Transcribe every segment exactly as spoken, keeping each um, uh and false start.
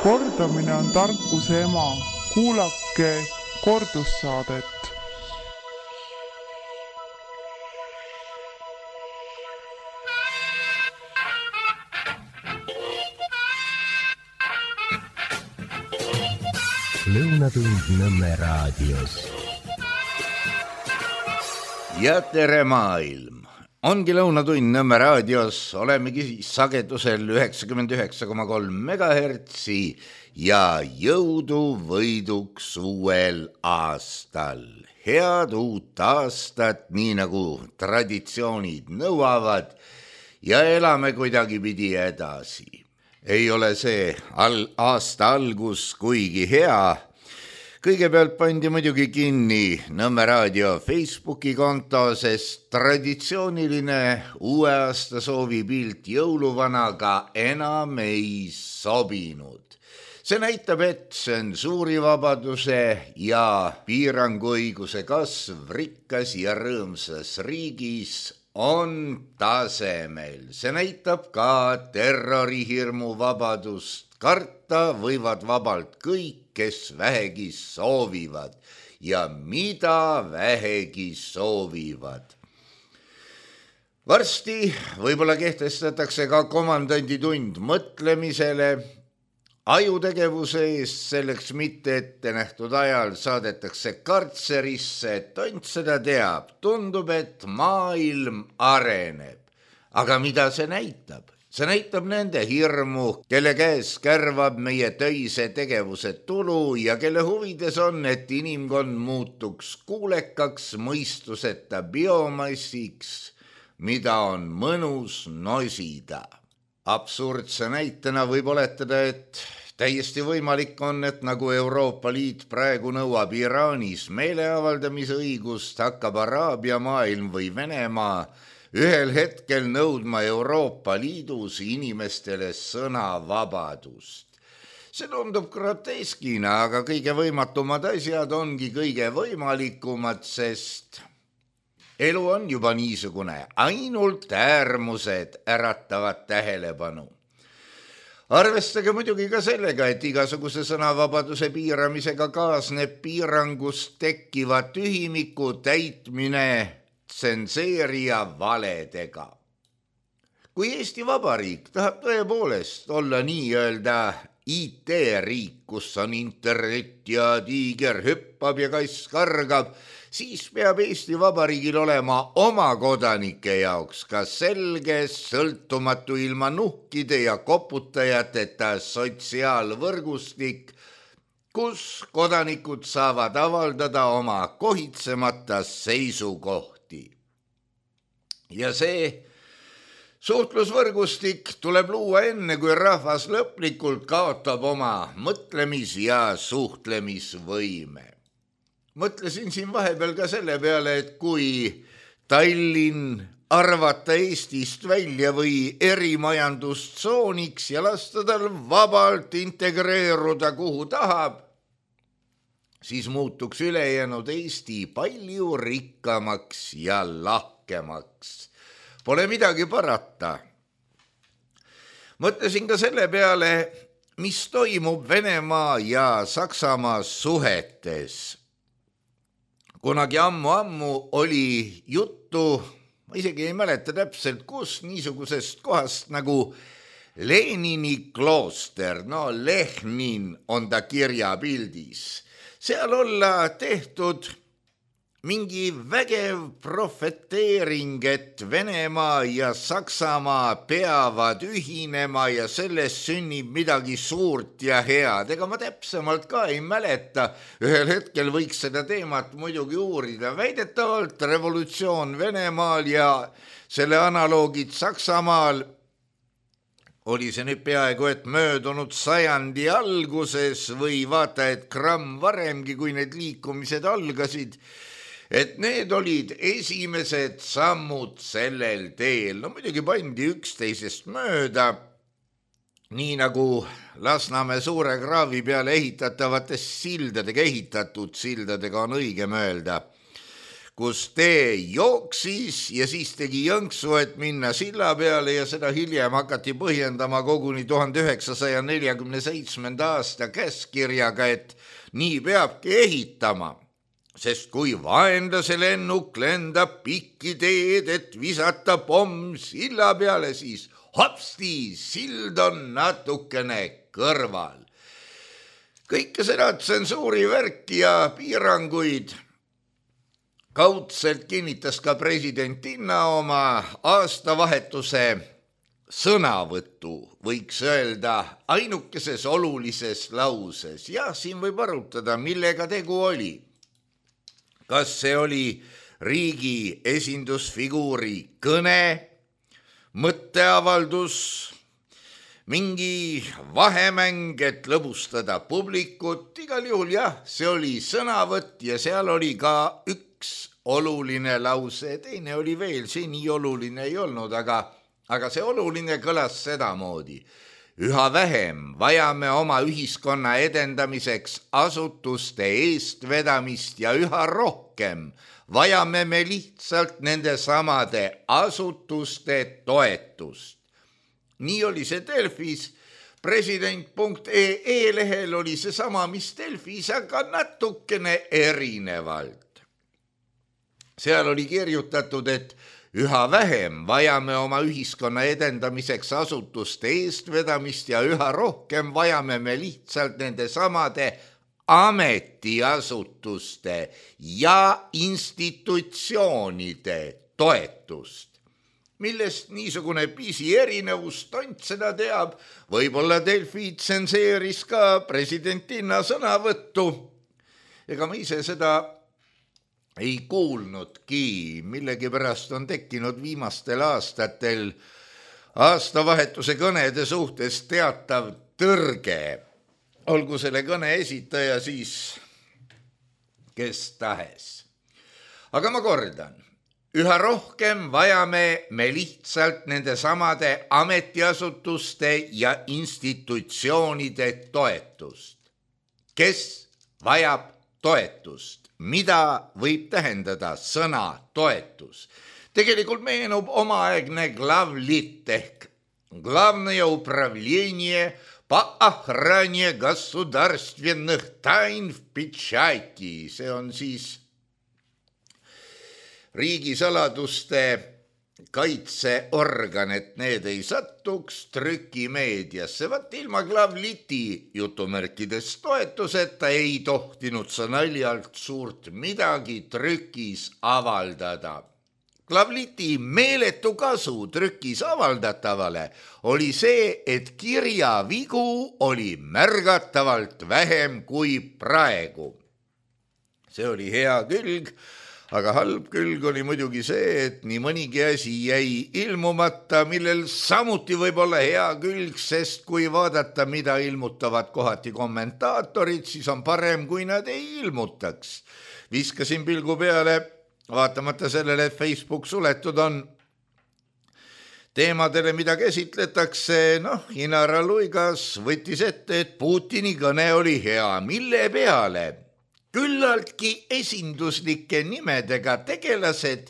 Kordamine on tarkuse ema. Kuulake kordussaadet. Lõunatund Nõmme raadios. Ja tere maailm! Ongi Lõunatund Nõmme raadios, olemegi sagedusel üheksakümmend üheksa koma kolm megahertsi ja jõudu võiduks uuel aastal. Head uut aastat, nii nagu traditsioonid nõuavad ja elame kuidagi pidi edasi. Ei ole see al- aasta algus kuigi hea. Kõigepealt pandi muidugi kinni Nõmme raadio Facebooki konto, sest traditsiooniline uue aasta soovipilt jõuluvanaga enam ei sobinud. See näitab, et tsensuurivabaduse ja piiranguõiguse kasv rikkas ja rõõmsas riigis on tasemel. See näitab ka terrorihirmu vabadust. Karta võivad vabalt kõik, kes vähegi soovivad ja mida vähegi soovivad. Varsti võib-olla kehtestatakse ka komandanditund mõtlemisele. Ajutegevuse eest selleks mitte ette nähtud ajal saadetakse kartserisse, et tont seda teab. Tundub, et maailm areneb. Aga mida see näitab? See näitab nende hirmu, kelle käes kärvab meie töise tegevuse tulu ja kelle huvides on, et inimkond muutuks kuulekaks mõistuseta biomassiks, mida on mõnus nosida. Absurdse näitena võib oletada, et täiesti võimalik on, et nagu Euroopa Liit praegu nõuab Iraanis meeleavaldamise õigust, hakkab Araabia maailm või Venemaa ühel hetkel nõudma Euroopa Liidus inimestele sõnavabadust. See tundub groteskina, aga kõige võimatumad asjad ongi kõige võimalikumad, sest elu on juba niisugune, ainult äärmused äratavad tähelepanu. Arvestage muidugi ka sellega, et igasuguse sõnavabaduse piiramisega kaasneb piirangust tekkiva tühimiku täitmine tsenseerija valedega. Kui Eesti Vabariik tahab tõepoolest olla nii-öelda I T-riik, kus on internet ja tiiger hüppab ja kass kargab, siis peab Eesti Vabariigil olema oma kodanike jaoks ka selge, sõltumatu ilma nuhkide ja koputajateta sotsiaalvõrgustik, kus kodanikud saavad avaldada oma kohitsemata seisukohti. Ja see suhtlusvõrgustik tuleb luua enne, kui rahvas lõplikult kaotab oma mõtlemis- ja suhtlemisvõime. Mõtlesin siin vahepeal ka selle peale, et kui Tallinn arvata Eestist välja või erimajandustsooniks ja lasta tal vabalt integreeruda kuhu tahab, siis muutuks ülejäänud Eesti palju rikkamaks ja lahkemaks. Pole midagi parata. Mõtlesin ka selle peale, mis toimub Venemaa ja Saksamaa suhetes. Kunagi ammu-ammu oli juttu, ma isegi ei mäleta täpselt, kus niisugusest kohast nagu Lenini klooster, no Lehnin on ta kirjapildis. Seal olla tehtud mingi vägev profeteering, et Venemaa ja Saksamaa peavad ühinema ja sellest sünnib midagi suurt ja head. Ega ma täpsemalt ka ei mäleta, ühel hetkel võiks seda teemat muidugi uurida. Väidetavalt revolutsioon Venemaal ja selle analoogid Saksamaal oli see nüüd peaaegu, et möödunud sajandi alguses või vaata, et gramm varemgi, kui need liikumised algasid, et need olid esimesed sammud sellel teel. No muidugi pandi üksteisest mööda, nii nagu Lasnamäe suure kraavi peale ehitatavatest sildadega ehitatud sildadega on õige mööda. kus tee jooksis ja siis tegi jõnksu, et minna silla peale ja seda hiljem hakati põhjendama koguni tuhande üheksasaja neljakümne seitsmenda aasta käskkirjaga, et nii peabki ehitama, sest kui vaenlase lennuk lendab pikki teed, et visata pomm silla peale, siis hopsti, sild on natukene kõrval. Kõike seda tsensuuri värki ja piiranguid kaudselt kinnitas ka presidentinna oma aastavahetuse sõnavõttu, võiks öelda ainukeses olulises lauses. Ja siin võib arutada, millega tegu oli. Kas see oli riigi esindusfiguuri kõne, mõtteavaldus, mingi vahemäng, et lõbustada publikut, igal juhul jah, see oli sõnavõtt ja seal oli ka üks oluline lause, teine oli veel, see nii oluline ei olnud, aga, aga see oluline kõlas sedamoodi. Üha vähem vajame oma ühiskonna edendamiseks asutuste eestvedamist ja üha rohkem vajame me lihtsalt nende samade asutuste toetust. Nii oli see Delfis, president punkt ee ee lehel oli see sama, mis Delfis, aga natukene erinevalt. Seal oli kirjutatud, et üha vähem vajame oma ühiskonna edendamiseks asutuste eestvedamist ja üha rohkem vajame me lihtsalt nende samade ametiasutuste ja institutsioonide toetust. Millest niisugune pisi erinevus, tont seda teab, võib-olla Delfi tsenseeris ka presidentinna sõnavõttu. Ega ma ise seda ei kuulnudki, millegi pärast on tekkinud viimastel aastatel aastavahetuse kõnede suhtes teatav tõrge. Olgu selle kõne esitaja siis kes tahes. Aga ma kordan. Üha rohkem vajame me lihtsalt nende samade ametiasutuste ja institutsioonide toetust. Kes vajab toetust? Mida võib tähendada sõna toetus? Tegelikult meenub omaaegne glavlit ehk Главное управление по охране государственных тайн в печати. See on siis riigisaladuste kaitseorgan, et need ei satuks trükimeediasse. Vat ilma glavliti jutumärkides toetuseta ei tohtinud sa naljalt suurt midagi trükis avaldada. Glavliti meeletu kasu trükis avaldatavale oli see, et kirjavigu oli märgatavalt vähem kui praegu. See oli hea külg, aga halb külg oli muidugi see, et nii mõnigi asi jäi ilmumata, millel samuti võib olla hea külg, sest kui vaadata, mida ilmutavad kohati kommentaatorid, siis on parem, kui nad ei ilmutaks. Viskasin pilgu peale, vaatamata sellele, et Facebook suletud on teemadele, mida käsitletakse, noh, Inara Luigas võttis ette, et Putini kõne oli hea, mille peale küllaltki esinduslike nimedega tegelased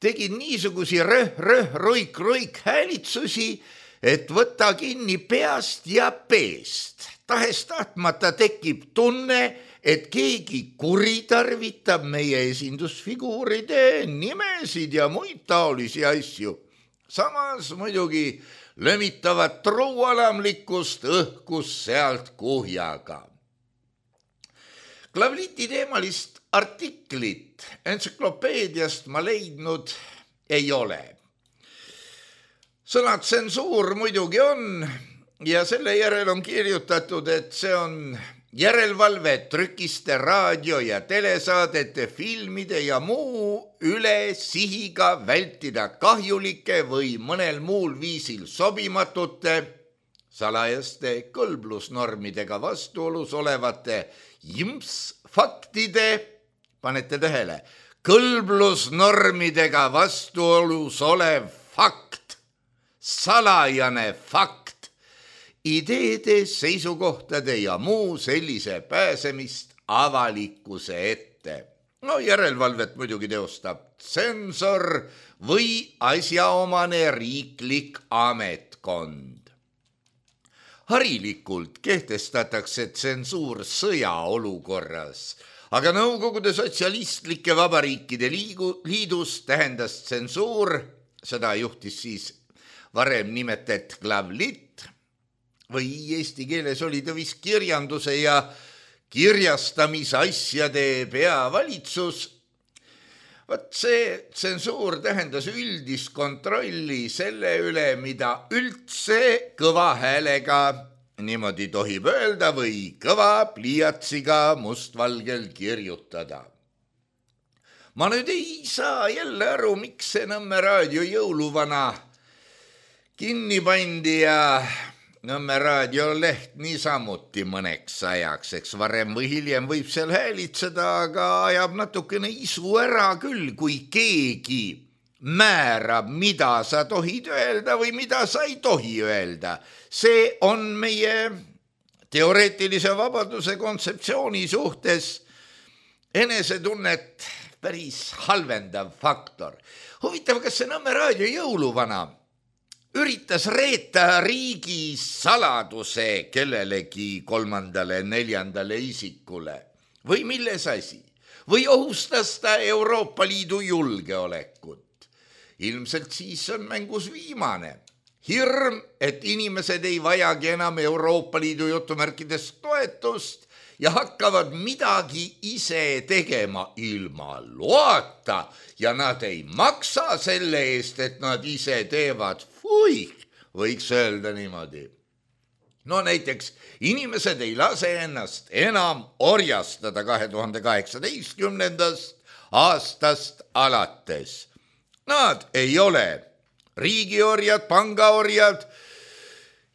tegid niisugusi röh, röh, roik, roik häälitsusi, et võtta kinni peast ja peest. Tahes tahtmata tekib tunne, et keegi kuritarvitab meie esindusfiguuride nimesid ja muid taolisi asju. Samas muidugi lömitavat truualamlikkust õhkus sealt kuhjaga. Glavliti teemalist artiklit entsüklopeediast ma leidnud ei ole. Sõna tsensuur muidugi on ja selle järel on kirjutatud, et see on järelevalve trükiste, raadio ja telesaadete, filmide ja muu üle sihiga vältida kahjulike või mõnel muul viisil sobimatute, salajaste kõlblusnormidega vastuolus olevate jimps faktide, panete tähele, kõlblusnormidega vastuolus olev fakt, salajane fakt, ideede, seisukohtade ja muu sellise pääsemist avalikkuse ette. No järelevalvet muidugi teostab tsensor või asjaomane riiklik ametkond. Harilikult kehtestatakse tsensuur sõjaolukorras, aga Nõukogude Sotsialistlike Vabariikide Liidus tähendas tsensuur, seda juhtis siis varem nimetet glavlit või eesti keeles oli ta vist kirjanduse ja kirjastamisasjade peavalitsus. Vaat see tsensuur tähendas üldist kontrolli selle üle, mida üldse kõva häälega niimoodi tohib öelda või kõva pliiatsiga mustvalgel kirjutada. Ma nüüd ei saa jälle aru, miks see Nõmme raadio jõuluvana kinni pandi ja Nõmme raadioleht niisamuti mõneks ajaks, eks varem või hiljem võib seal häälitseda, aga ajab natukene isu ära küll, kui keegi määrab, mida sa tohid öelda või mida sa ei tohi öelda. See on meie teoreetilise vabaduse kontseptsiooni suhtes enesetunnet päris halvendav faktor. Huvitav, kas see Nõmme raadio jõuluvana üritas reeta riigi saladuse kellelegi kolmandale, neljandale isikule või milles asi? Või ohustas ta Euroopa Liidu julgeolekut? Ilmselt siis on mängus viimane. Hirm, et inimesed ei vajagi enam Euroopa Liidu jutumärkides toetust ja hakkavad midagi ise tegema ilma loata ja nad ei maksa selle eest, et nad ise teevad. Fui, võiks öelda niimoodi. No näiteks inimesed ei lase ennast enam orjastada kahe tuhande kaheksateistkümnendast aastast alates. Nad ei ole riigiorjad, pangaorjad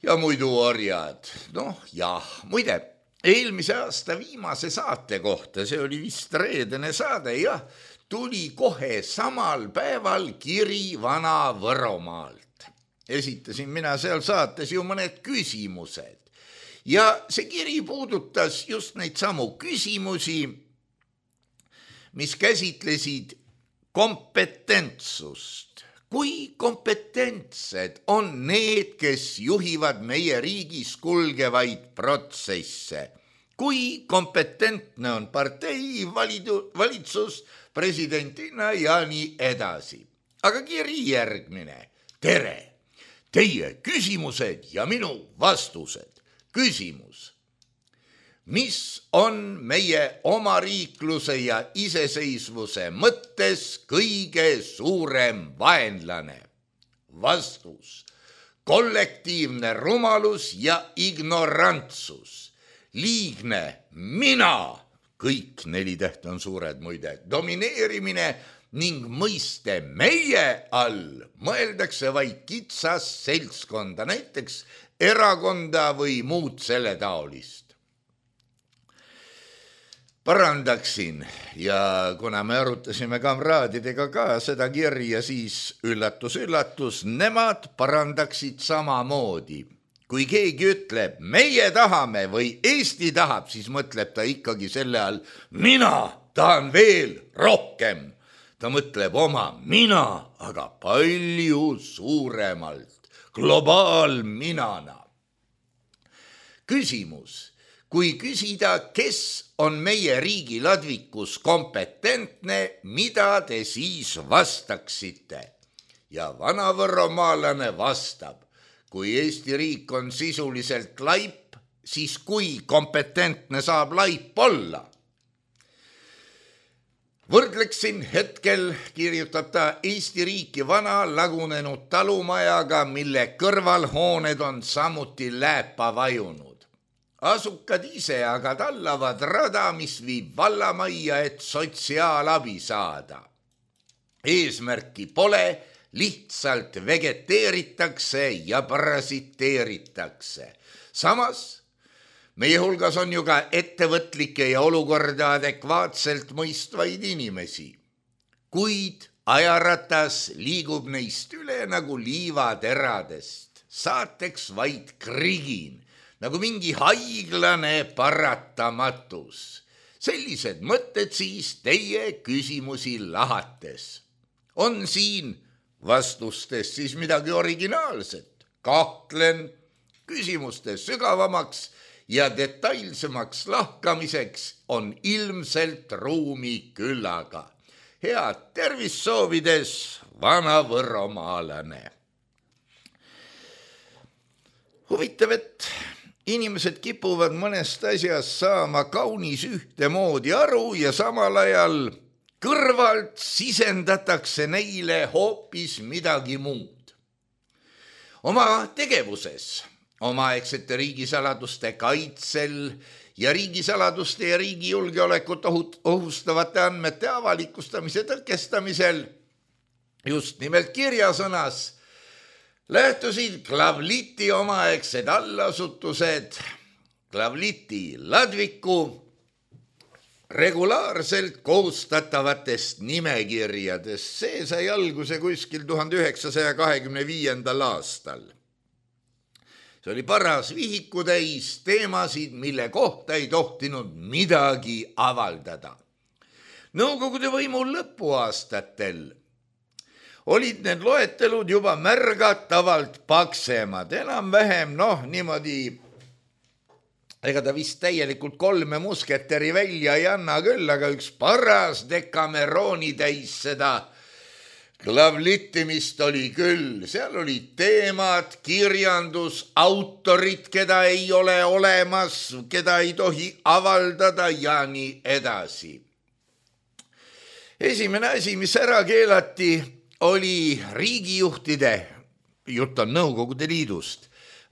ja muidu orjad. Noh, jah, muide, eelmise aasta viimase saate kohta, see oli vist reedene saade, jah, tuli kohe samal päeval kiri Vana-Võromaalt. Esitasin mina seal saates ju mõned küsimused ja see kiri puudutas just neid samu küsimusi, mis käsitlesid kompetentsust. Kui kompetentsed on need, kes juhivad meie riigis kulgevaid protsesse? Kui kompetentne on partei, valitu, valitsus, presidentina ja nii edasi. Aga kiri järgmine. Tere! Teie küsimused ja minu vastused. Küsimus. Mis on meie omariikluse ja iseseisvuse mõttes kõige suurem vaenlane? Vastus. Kollektiivne rumalus ja ignorantsus. Liigne mina, kõik neli tähte on suured muide, domineerimine ning mõiste meie all mõeldakse vaid kitsas seltskonda, näiteks erakonda või muud selle taolist. Parandaksin ja kuna me arutasime kamraadidega ka seda kirja, siis üllatus, üllatus, nemad parandaksid samamoodi. Kui keegi ütleb, meie tahame või Eesti tahab, siis mõtleb ta ikkagi selle all, mina tahan veel rohkem. Ta mõtleb oma mina, aga palju suuremalt, globaalminana. Küsimus. Kui küsida, kes on meie riigi ladvikus kompetentne, mida te siis vastaksite? Ja Vana-Võromaalane vastab, kui Eesti riik on sisuliselt laip, siis kui kompetentne saab laip olla? Võrdleksin hetkel, kirjutab ta, Eesti riiki vana lagunenud talumajaga, mille kõrvalhooned on samuti lääpa vajunud. Asukad ise aga tallavad rada, mis viib vallamajja, et sotsiaalabi saada. Eesmärki pole, lihtsalt vegeteeritakse ja parasiteeritakse. Samas meie hulgas on ju ka ettevõtlikke ja olukorda adekvaatselt mõistvaid inimesi. Kuid ajaratas liigub neist üle nagu liivateradest, saateks vaid krigin, nagu mingi haiglane paratamatus. sellised mõtted siis teie küsimusi lahates. On siin vastustes siis midagi originaalset? Kahtlen, küsimustes sügavamaks ja detailsemaks lahkamiseks on ilmselt ruumi küllaga. Head tervist soovides, vana võromaalane. Huvitav, et inimesed kipuvad mõnest asjast saama kaunis ühtemoodi aru ja samal ajal kõrvalt sisendatakse neile hoopis midagi muud. Oma tegevuses, omaaegsete riigisaladuste kaitsel ja riigisaladuste ja riigi julgeolekut ohustavate andmete avalikustamise tõkestamisel just nimelt kirjasõnas lähtusid Glavliti omaaegsed allasutused Glavliti ladviku regulaarselt koostatavatest nimekirjadest. See sai alguse kuskil tuhande üheksasaja kahekümne viiendal aastal. See oli paras vihikutäis teemasid, mille kohta ei tohtinud midagi avaldada. Nõukogude võimu lõpuaastatel olid need loetelud juba märgatavalt paksemad, enam-vähem, noh, niimoodi, ega ta vist täielikult kolme musketeri välja ei anna küll, aga üks paras dekamerooni täis seda Glavlitimist oli küll. Seal olid teemad, kirjandus, autorid, keda ei ole olemas, keda ei tohi avaldada ja nii edasi. Esimene asi, mis ära keelati, oli riigijuhtide, jutt on Nõukogude Liidust,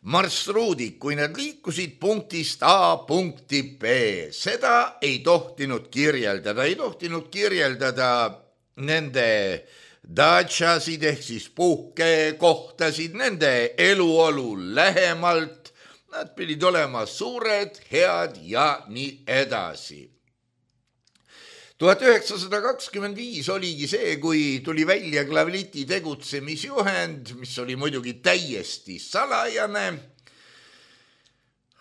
marsruudid, kui nad liikusid punktist A punkti B. Seda ei tohtinud kirjeldada, ei tohtinud kirjeldada nende datšasid ehk siis puhkekohtasid, nende eluolu lähemalt. Nad pidid olema suured, head ja nii edasi. tuhat üheksasada kakskümmend viis oligi see, kui tuli välja Glavliti tegutsemisjuhend, mis oli muidugi täiesti salajane.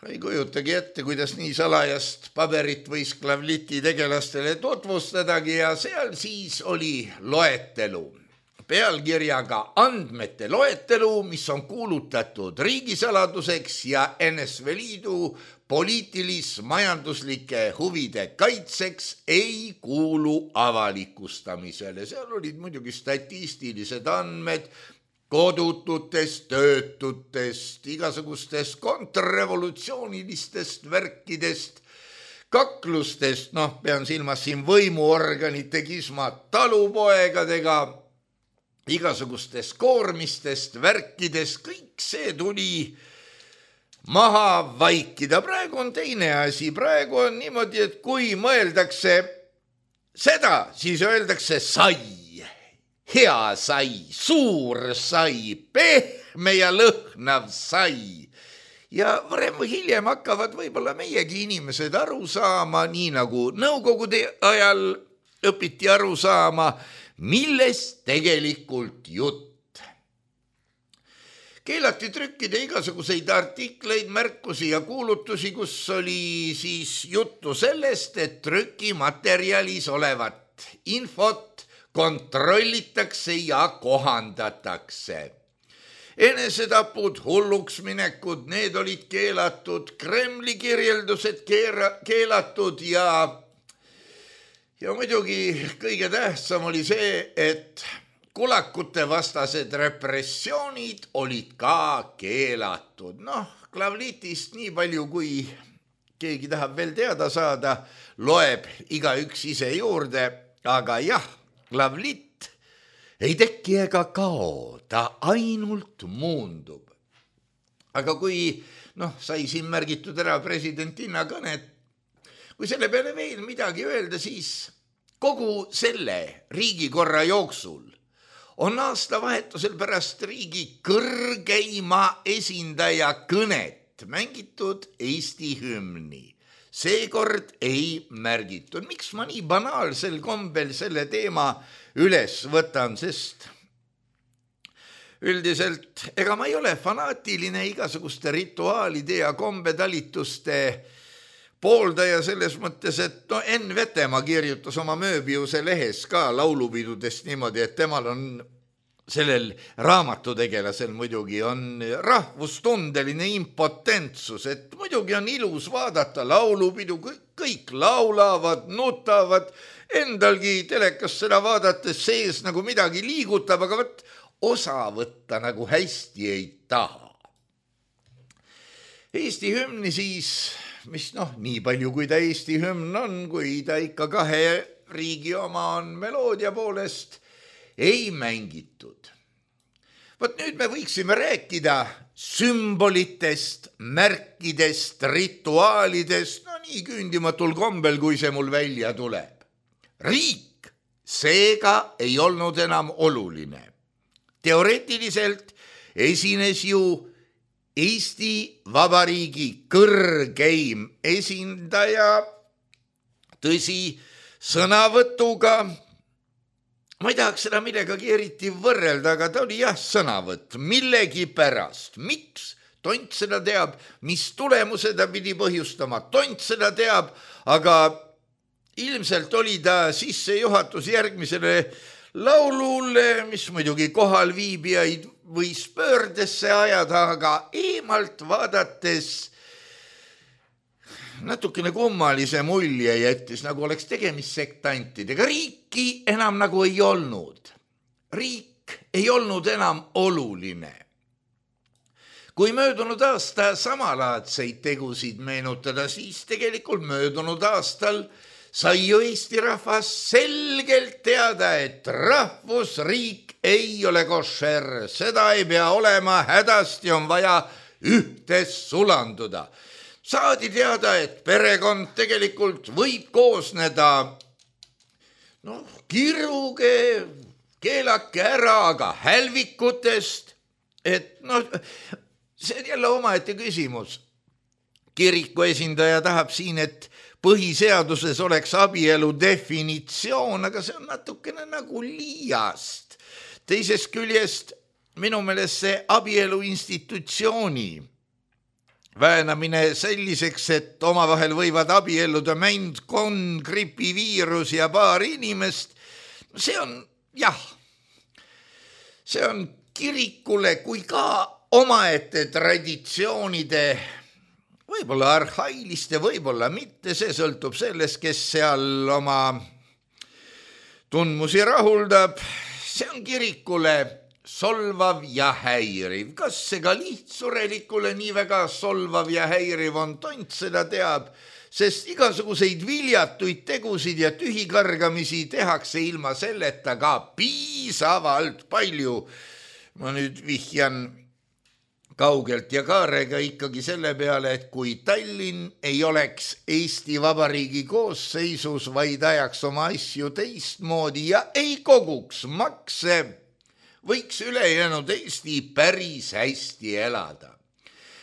Ei kujutagi ette, kuidas nii salajast paberit võis Glavliti tegelastele tutvustadagi ja seal siis oli loetelu. Pealkirjaga andmete loetelu, mis on kuulutatud riigisaladuseks ja N S V Liidu poliitilis-majanduslike huvide kaitseks ei kuulu avalikustamisele. Seal olid muidugi statistilised andmed kodututest, töötutest, igasugustest kontrrevolutsioonilistest värkidest, kaklustest, noh, pean silmas siin võimuorganite kismat talupoegadega, igasugustest koormistest, värkidest, kõik see tuli maha vaikida. Praegu on teine asi, praegu on niimoodi, et kui mõeldakse seda, siis öeldakse sai, hea sai, suur sai, pehme ja lõhnav sai. Ja varem või hiljem hakkavad võib-olla meiegi inimesed aru saama, nii nagu Nõukogude ajal õpiti aru saama, millest tegelikult jutt. Keelati trükkida igasuguseid artikleid, märkusi ja kuulutusi, kus oli siis juttu sellest, et trükimaterjalis olevat infot kontrollitakse ja kohandatakse. Enesetapud, hulluks minekud, need olid keelatud, Kremli kirjeldused keera, keelatud ja Ja muidugi kõige tähtsam oli see, et kulakute vastased repressioonid olid ka keelatud. Noh, Glavlitist nii palju, kui keegi tahab veel teada saada, loeb igaüks ise juurde, aga jah, Glavlit ei teki ega kao, ta ainult muundub. Aga kui, noh, sai siin märgitud ära presidentinna kõnet, kui selle peale veel midagi öelda, siis kogu selle riigikorra jooksul on aastavahetusel pärast riigi kõrgeima esindaja kõnet mängitud Eesti hümni. Seekord ei märgitud. Miks ma nii banaalsel kombel selle teema üles võtan, sest üldiselt ega ma ei ole fanaatiline igasuguste rituaalide ja kombetalituste pooldaja selles mõttes, et no Enn Vetemaa kirjutas oma Mööbiuse lehes ka laulupidudest niimoodi, et temal on sellel raamatutegelasel muidugi on rahvustundeline impotentsus, et muidugi on ilus vaadata laulupidu, kõik laulavad, nutavad, endalgi telekas seda vaadates sees nagu midagi liigutab, aga võt osa võtta nagu hästi ei taha. Eesti hümni siis, mis noh, nii palju kui ta Eesti hümn on, kui ta ikka kahe riigi oma on meloodia poolest, ei mängitud. Vot nüüd me võiksime rääkida sümbolitest, märkidest, rituaalidest, no nii küündimatul kombel, kui see mul välja tuleb. Riik seega ei olnud enam oluline. Teoreetiliselt esines ju Eesti Vabariigi kõrgeim esindaja, tõsi, sõnavõtuga, ma ei tahaks seda millegagi eriti võrrelda, aga ta oli jah sõnavõtt millegi pärast. Miks? Tont seda teab, mis tulemuse ta pidi põhjustama. Tont seda teab, aga ilmselt oli ta sissejuhatus järgmisele laulule, mis muidugi kohal viibijaid võis pöördesse ajada, aga eemalt vaadates natukene kummalise mulje jättis, nagu oleks tegemist sektantidega. Riiki enam nagu ei olnud. Riik ei olnud enam oluline. Kui möödunud aasta samalaadseid tegusid meenutada, siis tegelikult möödunud aastal sai ju Eesti rahvas selgelt teada, et rahvusriik ei ole košer, seda ei pea olema, hädasti on vaja ühtes sulanduda. Saadi teada, et perekond tegelikult võib koosneda noh, kirruge, keelake ära, aga hälvikutest, et noh, see on jälle omaette küsimus. Kiriku esindaja tahab siin, et põhiseaduses oleks abielu definitsioon, aga see on natukene nagu liiast. Teisest küljest minu meelest see abielu institutsiooni väänamine selliseks, et omavahel võivad abielluda mänd, konn, gripiviirus ja paar inimest, see on jah, see on kirikule kui ka omaette traditsioonide võib-olla arhailiste, võib-olla mitte, see sõltub sellest, kes seal oma tundmusi rahuldab. See on kirikule solvav ja häiriv. Kas see ka lihtsurelikule nii väga solvav ja häiriv on, tont seda teab, sest igasuguseid viljatuid tegusid ja tühikargamisi tehakse ilma selleta ka piisavalt palju. Ma nüüd vihjan kaugelt ja kaarega ikkagi selle peale, et kui Tallinn ei oleks Eesti Vabariigi koosseisus, vaid ajaks oma asju teistmoodi ja ei koguks makse, võiks ülejäänud Eesti päris hästi elada.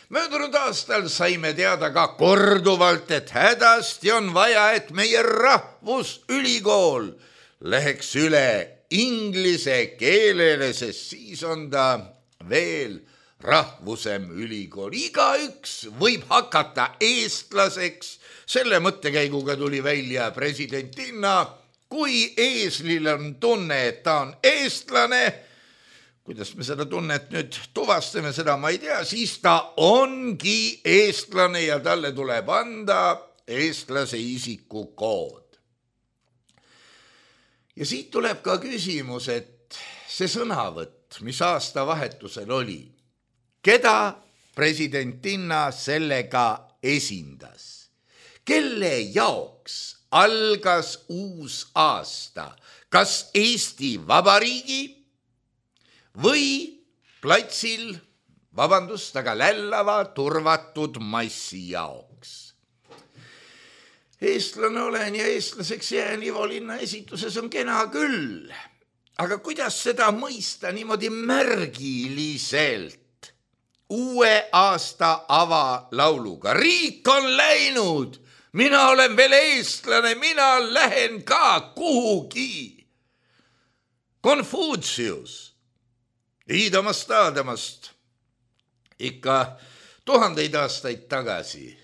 Möödunud aastal saime teada ka korduvalt, et hädasti on vaja, et meie rahvusülikool läheks üle inglise keelele, sest siis on ta veel rahvusem ülikool. Igaüks võib hakata eestlaseks. Selle mõttekäiguga tuli välja presidentinna. Kui eeslil on tunne, et ta on eestlane, kuidas me seda tunnet nüüd tuvastame, seda ma ei tea, siis ta ongi eestlane ja talle tuleb anda eestlase isikukood. Ja siit tuleb ka küsimus, et see sõnavõtt, mis aastavahetusel oli, keda presidentinna sellega esindas? Kelle jaoks algas uus aasta? Kas Eesti Vabariigi või platsil, vabandust, aga lällava turvatud massi jaoks? Eestlane olen ja eestlaseks jään Ivo Linna esituses on kena küll, aga kuidas seda mõista niimoodi märgiliselt? Uue aasta avalauluga. Riik on läinud, mina olen veel eestlane, mina lähen ka kuhugi. Konfutsius, Iidamast Aadamast, ikka tuhandeid aastaid tagasi,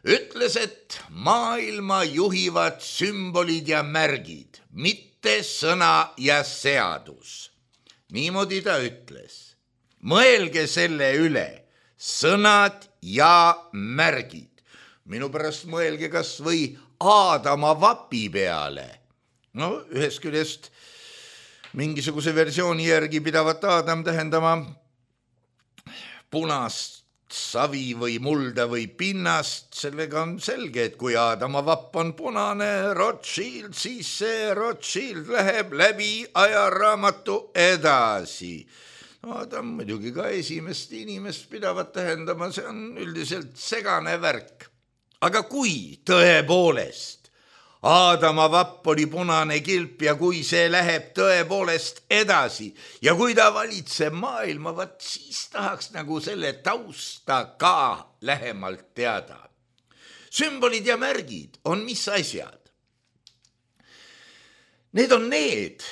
ütles, et maailma juhivad sümbolid ja märgid, mitte sõna ja seadus. Niimoodi ta ütles. Mõelge selle üle, sõnad ja märgid. Minu pärast mõelge kas või Aadama vapi peale. No ühest küljest mingisuguse versiooni järgi pidavat Aadam tähendama punast savi või mulda või pinnast. Sellega on selge, et kui Aadama vapp on punane Rothschild, siis see Rothschild läheb läbi ajaraamatu edasi. Aadam muidugi ka esimest inimest pidavat tähendama, see on üldiselt segane värk. Aga kui tõepoolest Aadama vapp oli punane kilp ja kui see läheb tõepoolest edasi ja kui ta valitseb maailma, vat siis tahaks nagu selle tausta ka lähemalt teada. Sümbolid ja märgid on mis asjad? Need on need,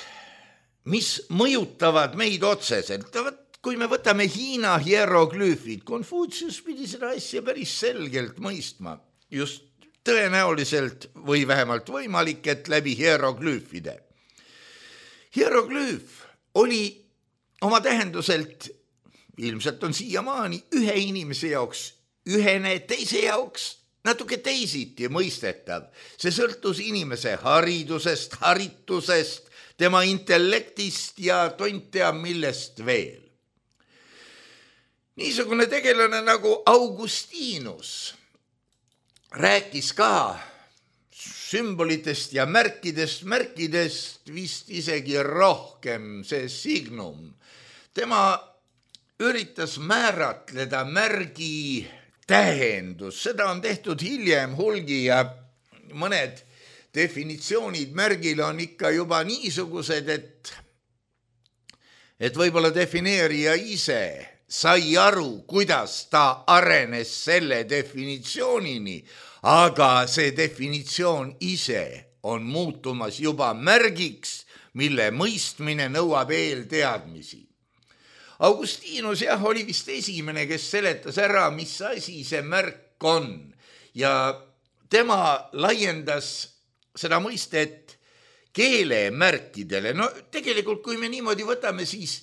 mis mõjutavad meid otseselt. Kui me võtame Hiina hieroglüüfid, Konfutsius pidi seda asja päris selgelt mõistma, just tõenäoliselt või vähemalt võimalik, et läbi hieroglüüfide. Hieroglüüf oli oma tähenduselt, ilmselt on siiamaani, ühe inimese jaoks ühene, teise jaoks natuke teisiti mõistetav. See sõltus inimese haridusest, haritusest, tema intellektist ja tont teab millest veel. Niisugune tegelane nagu Augustinus rääkis ka sümbolitest ja märkidest, märkidest vist isegi rohkem, see signum. Tema üritas määratleda märgi tähendus, seda on tehtud hiljem hulgi ja mõned definitsioonid märgile on ikka juba niisugused, et, et võib-olla defineerija ise sai aru, kuidas ta arenes selle definitsioonini, aga see definitsioon ise on muutumas juba märgiks, mille mõistmine nõuab eelteadmisi. Augustinus jah, oli vist esimene, kes seletas ära, mis asi see märk on ja tema laiendas seda mõistet keelemärkidele. No tegelikult, kui me niimoodi võtame, siis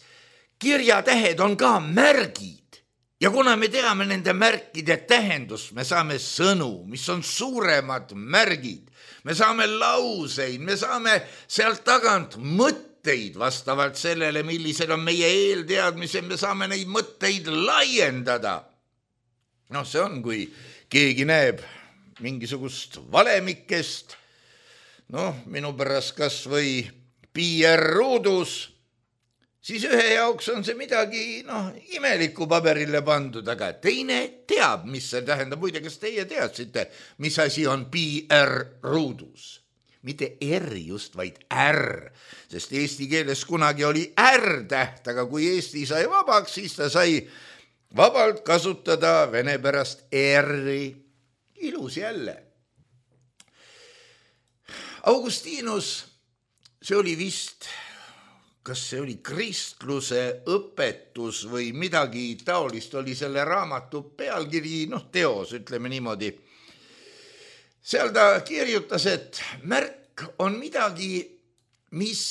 kirjatähed on ka märgid ja kuna me teame nende märkide tähendust, me saame sõnu, mis on suuremad märgid, me saame lauseid, me saame sealt tagant mõtteid vastavalt sellele, millised on meie eelteadmised, me saame neid mõtteid laiendada. Noh, see on, kui keegi näeb mingisugust valemikest, noh, minu pärast kas või pi er ruudus, siis ühe jaoks on see midagi noh, imelikku paberile pandud, aga teine teab, mis see tähendab. Muide, kas teie teadsite, mis asi on pi er ruudus? Mitte R just, vaid R, sest eesti keeles kunagi oli R täht, aga kui Eesti sai vabaks, siis ta sai vabalt kasutada vene pärast R-i. Ilus jälle. Augustinus, see oli vist... kas see oli kristluse õpetus või midagi taolist oli selle raamatu pealkiri, noh teos, ütleme niimoodi. Seal ta kirjutas, et märk on midagi, mis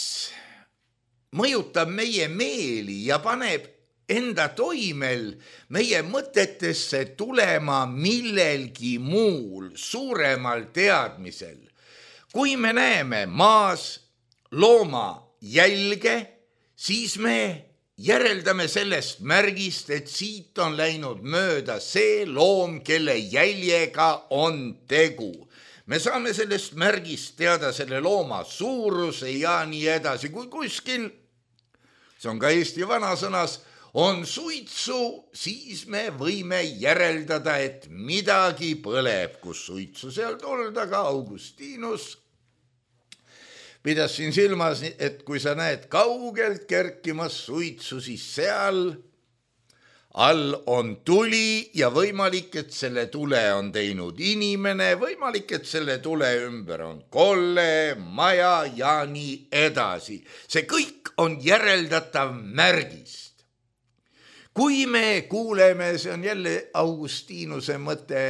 mõjutab meie meeli ja paneb enda toimel meie mõtetesse tulema millelgi muul, suuremal teadmisel. Kui me näeme maas looma jälge, siis me järeldame sellest märgist, et siit on läinud mööda see loom, kelle jäljega on tegu. Me saame sellest märgist teada selle looma suuruse ja nii edasi. Kui kuskil, see on ka Eesti vanasõnas, on suitsu, siis me võime järeldada, et midagi põleb, kus suitsu seal tolda, ka Augustinus pidas siin silmas, et kui sa näed kaugelt kerkimas suitsu, siis seal all on tuli ja võimalik, et selle tule on teinud inimene, võimalik, et selle tule ümber on kolle, maja ja nii edasi. See kõik on järeldatav märgist. Kui me kuuleme, see on jälle Augustinuse mõte,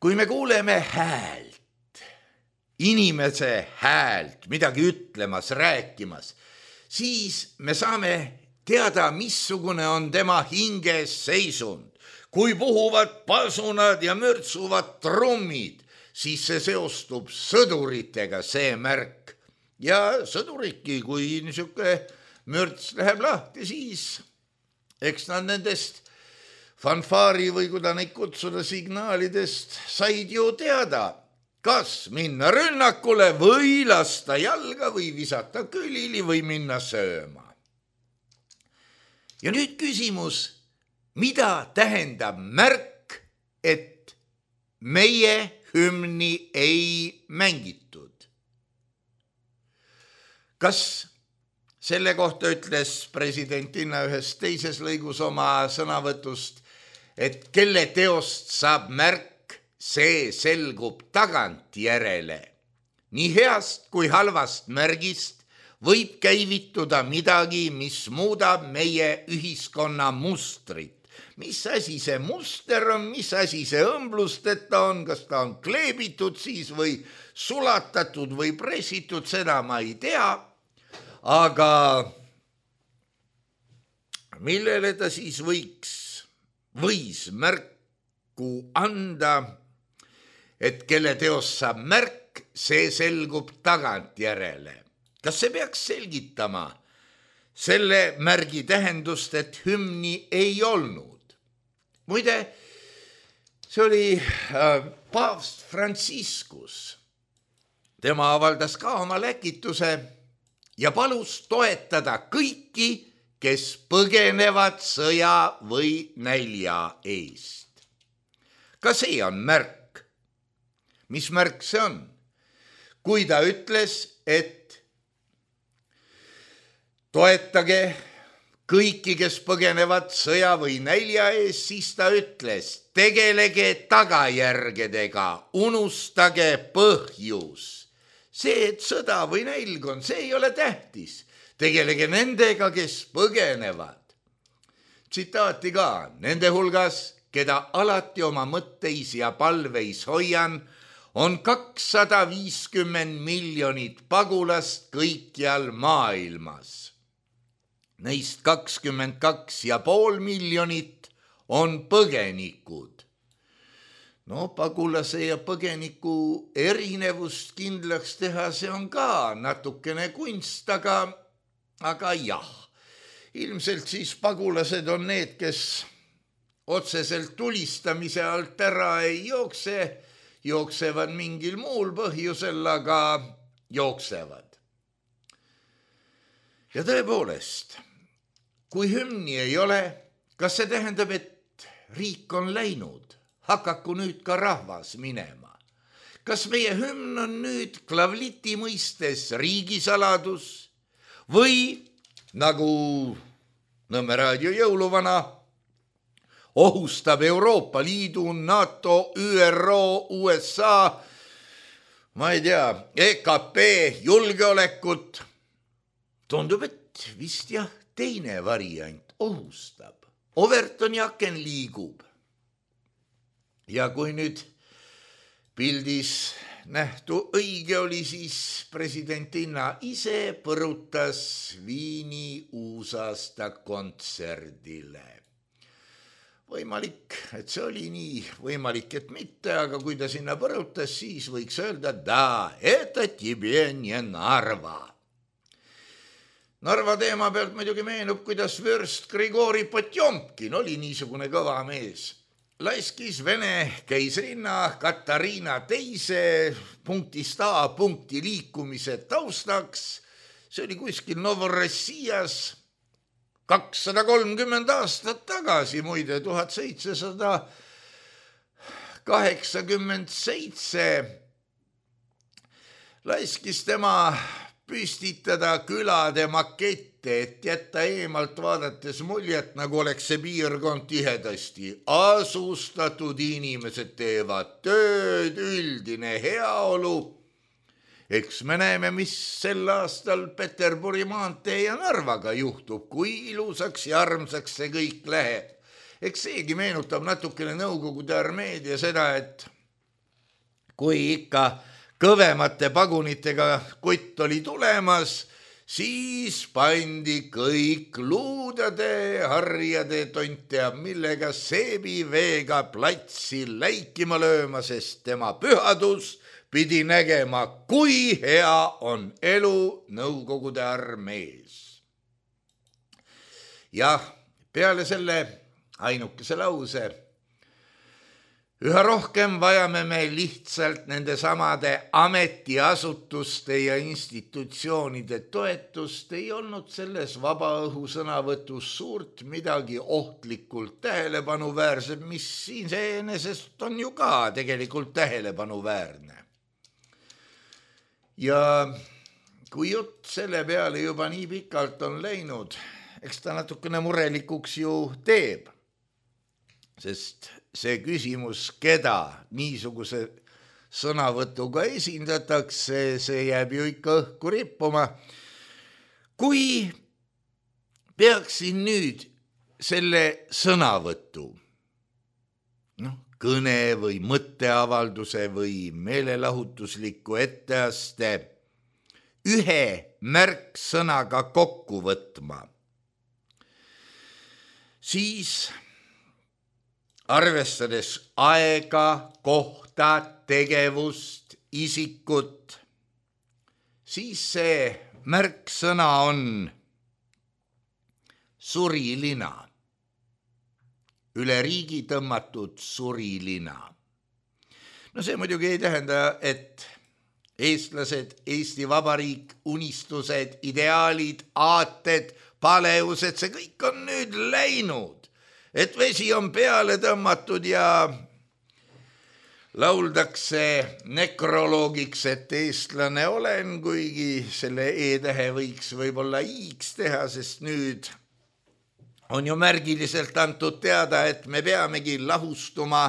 kui me kuuleme häält, inimese häält, midagi ütlemas, rääkimas, siis me saame teada, missugune on tema hinges seisund. Kui puhuvad pasunad ja mürtsuvad trummid, siis see seostub sõduritega, see märk. Ja sõduriki, kui niisugune mürts läheb lahti, siis eks nad nendest fanfaari või kuda neid kutsuda signaalidest said ju teada, kas minna rünnakule või lasta jalga või visata külili või minna sööma. Ja nüüd küsimus, mida tähendab märk, et meie hümni ei mängitud? Kas selle kohta ütles presidentina ühes teises lõigus oma sõnavõtust, et kelle teost saab märk, see selgub tagantjärele. Nii heast kui halvast märgist võib käivituda midagi, mis muudab meie ühiskonna mustrit. Mis asi see muster on, mis asi see õmblusteta on, kas ta on kleebitud siis või sulatatud või pressitud, seda ma ei tea. Aga millele ta siis võiks, võis märku anda, et kelle teost saab märk, see selgub tagantjärele. Kas see peaks selgitama selle märgi tähendust, et hümni ei olnud? Muide, see oli paavst Franciscus. Tema avaldas ka oma läkituse ja palus toetada kõiki, kes põgenevad sõja või nälja eest. Ka see on märk. Mis märk see on? Kui ta ütles, et toetage kõiki, kes põgenevad sõja või nälja eest, siis ta ütles, tegelege tagajärgedega, unustage põhjus. See, et sõda või nälg on, see ei ole tähtis. Tegelege nendega, kes põgenevad. Tsitaati ka, nende hulgas, keda alati oma mõtteis ja palveis hoian, on kakssada viiskümmend miljonit pagulast kõikjal maailmas. Neist kakskümmend kaks ja pool miljonit on põgenikud. No pagulase ja põgeniku erinevust kindlaks teha, see on ka natukene kunst, aga, aga jah. Ilmselt siis pagulased on need, kes otseselt tulistamise alt ära ei jookse, jooksevad mingil muul põhjusel, aga jooksevad. Ja tõepoolest, kui hümni ei ole, kas see tähendab, et riik on läinud? Hakaku nüüd ka rahvas minema. Kas meie hümn on nüüd klavliti mõistes riigisaladus või nagu Nõmme raadio jõuluvana ohustab Euroopa Liidu, NATO, Ü R O, U S A, ma ei tea, E K P julgeolekut? Tundub, et vist jah, teine variant ohustab. Overtoni aken liigub. Ja kui nüüd pildis nähtu õige oli, siis presidentina ise põrutas Viini uusaasta kontserdile. Võimalik, et see oli nii, võimalik, et mitte, aga kui ta sinna põrutas, siis võiks öelda, da, это тебе не Narva. Narva teema pealt muidugi meenub, kuidas vürst Grigori Potjomkin oli niisugune kõva mees. Laiskis Vene keisrinna Katariina teise punktist A punkti liikumise taustaks. See oli kuskil Novorossijas kakssada kolmkümmend aastat tagasi, muide tuhat seitsesada kaheksakümmend seitse. Laiskis tema püstitada külade makette, et jätta eemalt vaadates muljet, nagu oleks see piirkond tihedasti asustatud, inimesed teevad tööd, üldine heaolu. Eks me näeme, mis sel aastal Peterburi maantee ja Narvaga juhtub, kui ilusaks ja armsaks see kõik läheb. Eks seegi meenutab natukene Nõukogude armeed ja seda, et kui ikka kõvemate pagunitega kutt oli tulemas, siis pandi kõik luudade, harjade, tont teab millega seebiveega platsi läikima lööma, sest tema pühadus pidi nägema, kui hea on elu Nõukogude armees. Jah, peale selle ainukese lause üha rohkem vajame me lihtsalt nende samade ametiasutuste ja institutsioonide toetust, ei olnud selles vabaõhu sõnavõtus suurt midagi ohtlikult tähelepanuväärset, mis iseenesest on ju ka tegelikult tähelepanuväärne. Ja kui jutt selle peale juba nii pikalt on läinud, eks ta natukene murelikuks ju teeb, sest see küsimus, keda niisuguse sõnavõtuga esindatakse, see jääb ju ikka õhku rippuma. Kui peaksin nüüd selle sõnavõtu, noh, kõne või mõtteavalduse või meelelahutusliku etteaste ühe märksõnaga kokku võtma, siis arvestades aega, kohta, tegevust, isikut, siis see märksõna on surilina, üle riigi tõmmatud surilina. No see muidugi ei tähenda, et eestlased, Eesti Vabariik, unistused, ideaalid, aated, paleused, see kõik on nüüd läinud. Et vesi on peale tõmmatud ja lauldakse nekroloogiks, et eestlane olen, kuigi selle e-tähe võiks võib-olla i-ks teha, sest nüüd on ju märgiliselt antud teada, et me peamegi lahustuma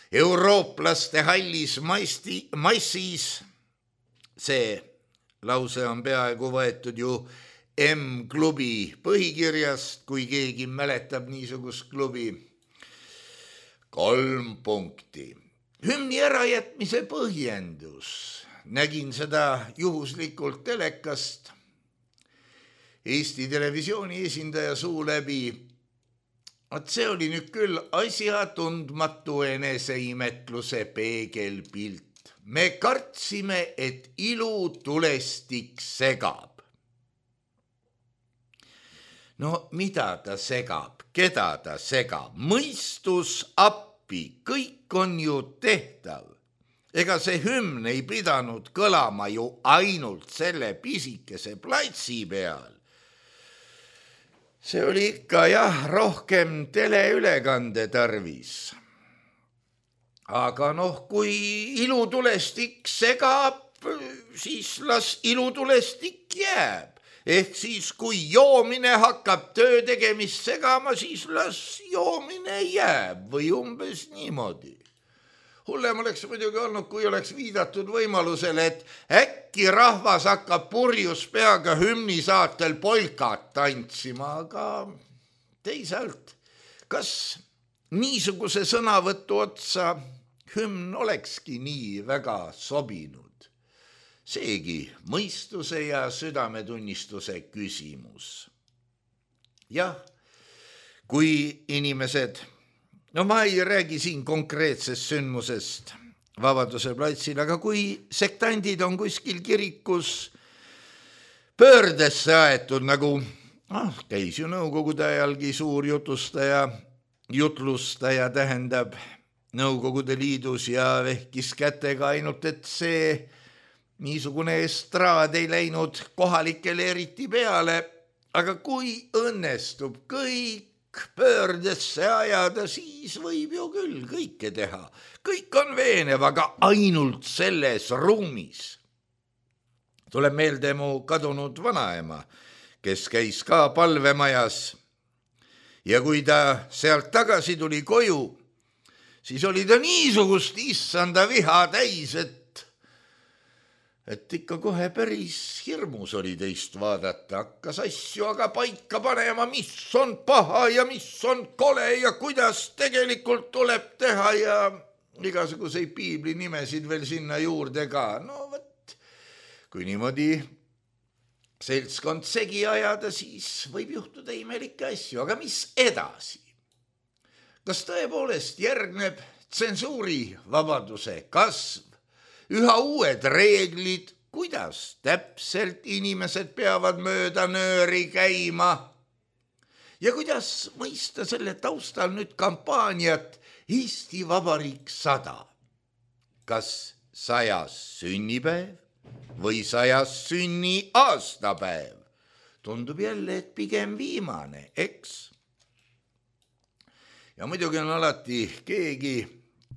eurooplaste hallis maisti, massis. See lause on peaaegu võetud ju M-klubi põhikirjast, kui keegi mäletab niisugust klubi. Kolm punkti. Hümni ärajätmise põhjendus. Nägin seda juhuslikult telekast. Eesti Televisiooni esindaja suu läbi. Et see oli nüüd küll asja tundmatu eneseimetluse peegelpilt. Me kartsime, et ilu tulestik segab. No mida ta segab, keda ta segab, mõistus appi, kõik on ju tehtav. Ega see hümn ei pidanud kõlama ju ainult selle pisikese platsi peal. See oli ikka jah, rohkem teleülekande tarvis. Aga noh, kui ilutulestik segab, siis las ilutulestik jääb. Ehk siis, kui joomine hakkab töö tegemist segama, siis las joomine jääb või umbes niimoodi. Hullem oleks muidugi olnud, kui oleks viidatud võimalusele, et äkki rahvas hakkab purjus peaga hümni saatel polkat tantsima, aga teisalt, kas niisuguse sõnavõtu otsa hümn olekski nii väga sobinud? Seegi mõistuse ja südametunnistuse küsimus. Jah, kui inimesed, no ma ei räägi siin konkreetsest sündmusest Vabaduse platsil, aga kui sektandid on kuskil kirikus pöördesse aetud, nagu ah, käis ju Nõukogude ajalgi suur jutustaja, jutlustaja tähendab Nõukogude Liidus ja vehkis kätega ainult, et see niisugune estraad ei läinud kohalikele eriti peale, aga kui õnnestub kõik pöördesse ajada, siis võib ju küll kõike teha. Kõik on veenev, aga ainult selles ruumis. Tuleb meelde mu kadunud vanaema, kes käis ka palvemajas. Ja kui ta sealt tagasi tuli koju, siis oli ta niisugust issanda viha täis, et et ikka kohe päris hirmus oli teist vaadata, hakkas asju aga paika panema, mis on paha ja mis on kole ja kuidas tegelikult tuleb teha ja igasuguseid piibli nimesid veel sinna juurde ka. No võt, kui niimoodi seltskond segi ajada, siis võib juhtuda imelikke asju, aga mis edasi? Kas tõepoolest järgneb tsensuuri vabaduse kasv, üha uued reeglid, kuidas täpselt inimesed peavad mööda nööri käima ja kuidas mõista selle taustal nüüd kampaaniat Eesti Vabariik sada? Kas sajas sünnipäev või sajas sünni aastapäev? Tundub jälle, et pigem viimane, eks? Ja muidugi on alati keegi,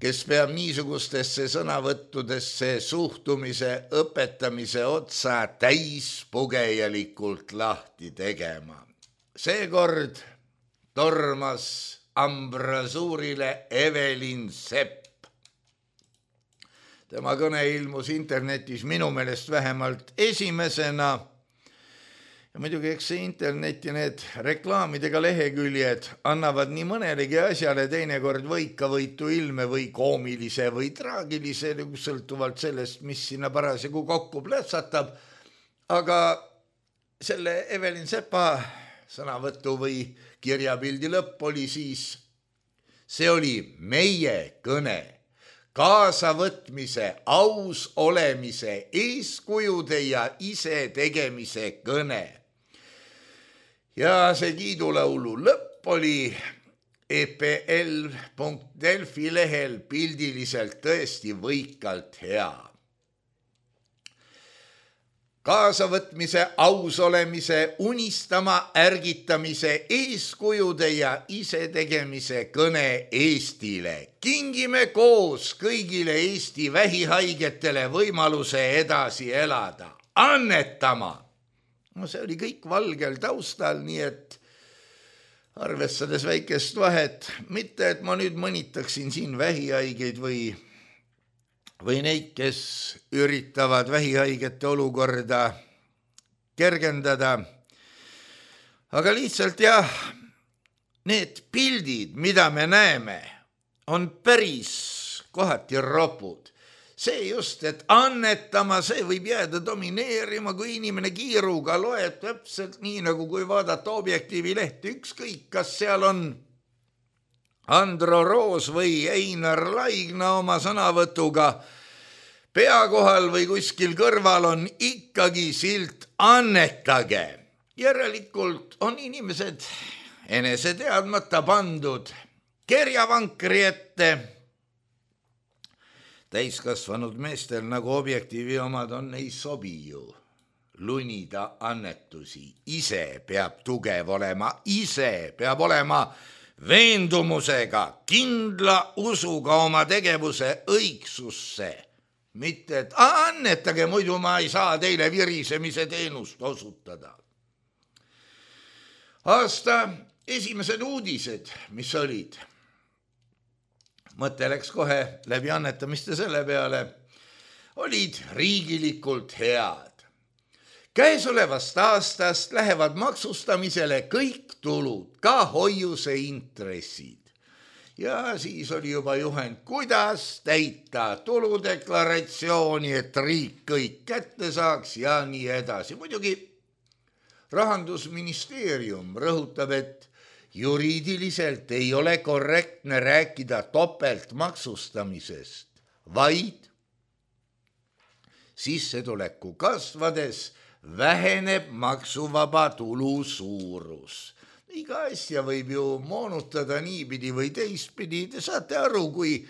kes peab niisugustesse sõnavõttudesse suhtumise õpetamise otsa täispugejalikult lahti tegema. Seekord tormas ambrasuurile Evelin Sepp. Tema kõne ilmus internetis minu meelest vähemalt esimesena. Ja muidugi eks see internet ja need reklaamidega leheküljed annavad nii mõnelegi asjale teinekord võikavõitu ilme või koomilise või traagilise, sõltuvalt sellest, mis sinna parasjagu kokku plätsatab. Aga selle Evelin Sepa sõnavõtu või kirjapildi lõpp oli siis, see oli meie kõne, kaasavõtmise, aus olemise, eeskujude ja ise tegemise kõne. Ja see kiidulaulu lõpp oli e pe el punkt delfi lehel pildiliselt tõesti võikalt hea. Kaasavõtmise, aus olemise, unistama, ärgitamise, eeskujude ja ise tegemise kõne Eestile. Kingime koos kõigile Eesti vähihaigetele võimaluse edasi elada. Annetama! No see oli kõik valgel taustal, nii et arvestades väikest vahet, mitte et ma nüüd mõnitaksin siin vähihaigeid või või neid, kes üritavad vähihaigete olukorda kergendada. Aga lihtsalt jah, need pildid, mida me näeme, on päris kohati ropud. See just, et annetama, see võib jääda domineerima, kui inimene kiiruga loeb täpselt nii, nagu kui vaadata Objektiivi lehti, ükskõik, kas seal on Andro Roos või Einar Laigna oma sõnavõtuga pea kohal või kuskil kõrval on ikkagi silt annetage. Järelikult on inimesed enese teadmata pandud kerjavankri ette. Täiskasvanud meestel nagu Objektiivi omad on, ei sobi ju lunida annetusi. Ise peab tugev olema, ise peab olema veendumusega, kindla usuga oma tegevuse õigsusse. Mitte, et annetage, muidu ma ei saa teile virisemise teenust osutada. Aasta esimesed uudised, mis olid. Mõte läks kohe läbi annetamiste selle peale, olid riigilikult head. Käesolevast aastast lähevad maksustamisele kõik tulud, ka hoiuse intressid. Ja siis oli juba juhend, kuidas täita tuludeklaratsiooni, et riik kõik kätte saaks ja nii edasi. Muidugi Rahandusministeerium rõhutab, et juriidiliselt ei ole korrektne rääkida topeltmaksustamisest, vaid sissetuleku kasvades väheneb maksuvaba tulu suurus. Iga asja võib ju moonutada niipidi või teistpidi. Te saate aru, kui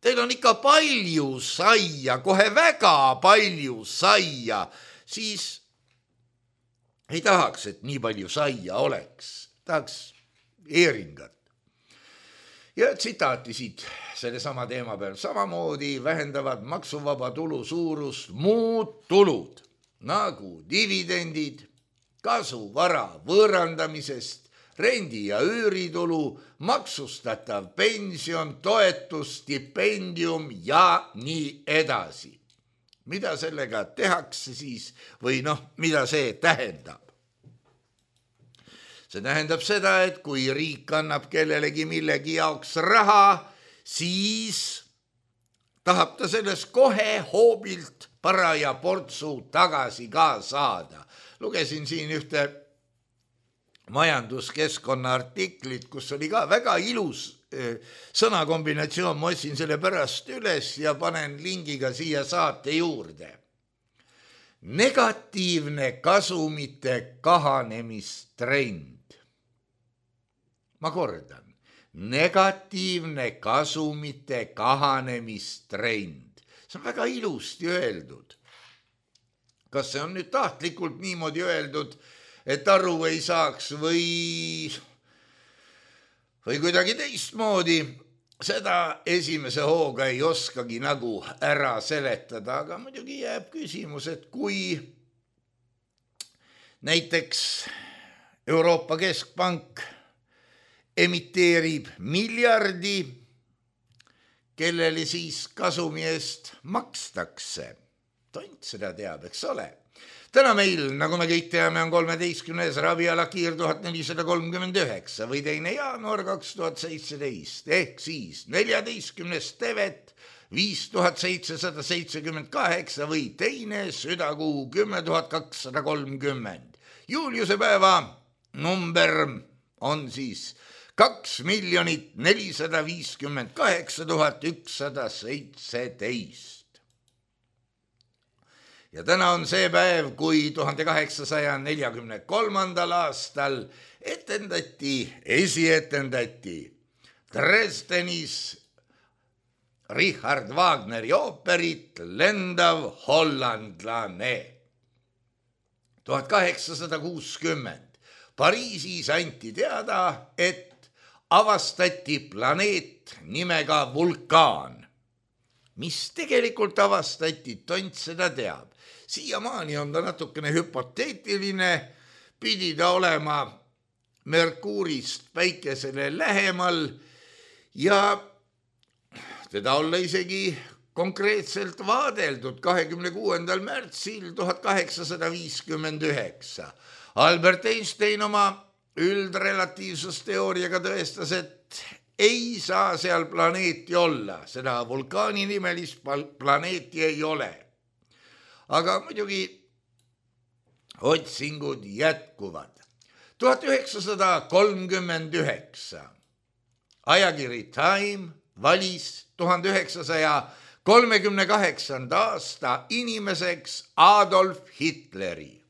teil on ikka palju saia, kohe väga palju saia, siis ei tahaks, et nii palju saia oleks. Tahaks eeringat. Ja tsitaati siit selle sama teema peal. Samamoodi vähendavad maksuvaba tulu suurust muud tulud, nagu dividendid, kasu vara võõrandamisest, rendi- ja üüritulu, maksustatav pension, toetus, stipendium ja nii edasi. Mida sellega tehakse siis või noh, mida see tähendab? See tähendab seda, et kui riik annab kellelegi millegi jaoks raha, siis tahab ta sellest kohe hoobilt paraja portsu tagasi ka saada. Lugesin siin ühte majanduskeskkonna artiklit, kus oli ka väga ilus sõnakombinatsioon, ma otsin selle pärast üles ja panen lingiga siia saate juurde. Negatiivne kasumite kahanemistrend. Ma kordan, negatiivne kasumite kahanemistrend. See on väga ilusti öeldud. Kas see on nüüd tahtlikult niimoodi öeldud, et aru ei saaks või, või kuidagi teistmoodi, seda esimese hooga ei oskagi nagu ära seletada, aga muidugi jääb küsimus, et kui näiteks Euroopa Keskpank emiteerib miljardi, kellele siis kasumi eest makstakse. Tont seda teab, eks ole. Täna meil, nagu me kõik teame, on kolmeteistkümnes ravialakiir tuhat nelisada kolmkümmend üheksa või teine jaanuar kaks tuhat seitseteist, ehk siis neljateistkümnes tevet viis tuhat seitsesada seitsekümmend kaheksa või teine südakuu kümme tuhat kakssada kolmkümmend. Juuliuse päeva number on siis kaks miljonit nelisada viiskümmend kaheksa tuhat ükssada seitseteist. Ja täna on see päev, kui tuhande kaheksasaja neljakümne kolmandal aastal etendati, esietendati Dresdenis Richard Wagneri ooperit Lendav hollandlane. tuhat kaheksasada kuuskümmend Pariisis anti teada, et avastati planeet nimega vulkaan. Mis tegelikult avastati, tont seda teab. Siiamaani on ta natukene hüpoteetiline, pidi ta olema Merkuurist päikesele lähemal ja teda olla isegi konkreetselt vaadeldud kahekümne kuuendal märtsil tuhat kaheksasada viiskümmend üheksa. Albert Einstein oma üldrelatiivsusteooriaga tõestas, et ei saa seal planeeti olla, seda vulkaani nimelist planeeti ei ole. Aga muidugi otsingud jätkuvad. tuhat üheksasada kolmkümmend üheksa ajakiri Time valis tuhande üheksasaja kolmekümne kaheksanda aasta inimeseks Adolf Hitleri.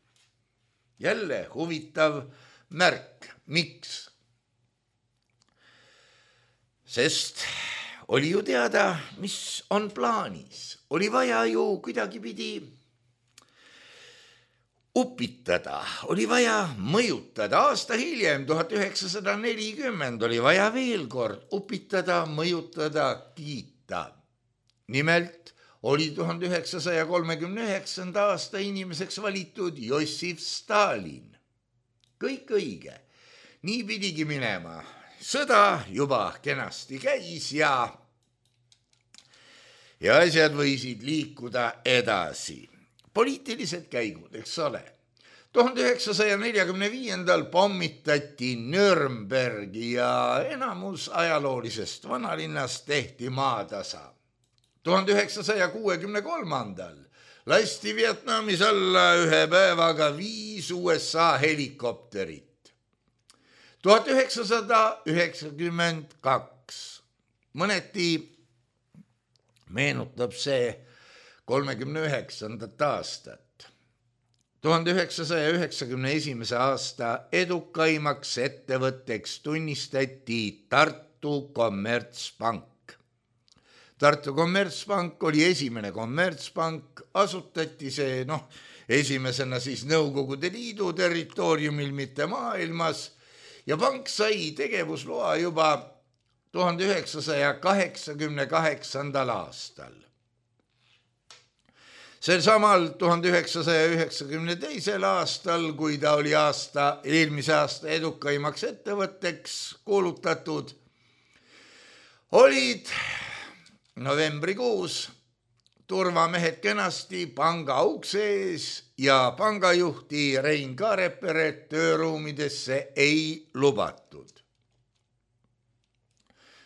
Jälle huvitav märk. Miks? Sest oli ju teada, mis on plaanis. Oli vaja ju kuidagi pidi upitada, oli vaja mõjutada. Aasta hiljem, tuhat üheksasada nelikümmend, oli vaja veel kord upitada, mõjutada, kiita. Nimelt oli tuhande üheksasaja kolmekümne üheksanda aasta inimeseks valitud Jossif Stalin. Kõik õige. Nii pidigi minema. Sõda juba kenasti käis ja, ja asjad võisid liikuda edasi. Poliitilised käigud, eks ole. tuhande üheksasaja neljakümne viiendal pommitati Nürnbergi ja enamus ajaloolisest vanalinnast tehti maatasa. tuhande üheksasaja kuuekümne kolmandal lasti Vietnamis alla ühe päevaga viis U S A helikopterit. tuhat üheksasada üheksakümmend kaks mõneti meenutab see kolmekümne üheksandat aastat. tuhande üheksasaja üheksakümne esimese aasta edukaimaks ettevõtteks tunnistati Tartu Kommertspank. Tartu Kommertspank oli esimene kommertspank, asutati see noh, esimesena siis Nõukogude Liidu territooriumil, mitte maailmas, ja pank sai tegevusloa juba tuhande üheksasaja kaheksakümne kaheksandal aastal. Sel samal tuhande üheksasaja üheksakümne teisel aastal, kui ta oli aasta, eelmise aasta edukaimaks ettevõtteks kuulutatud, olid novembrikuus turvamehed kenasti panga ukse ees ja pangajuhti Rein Kaareperet tööruumidesse ei lubatud.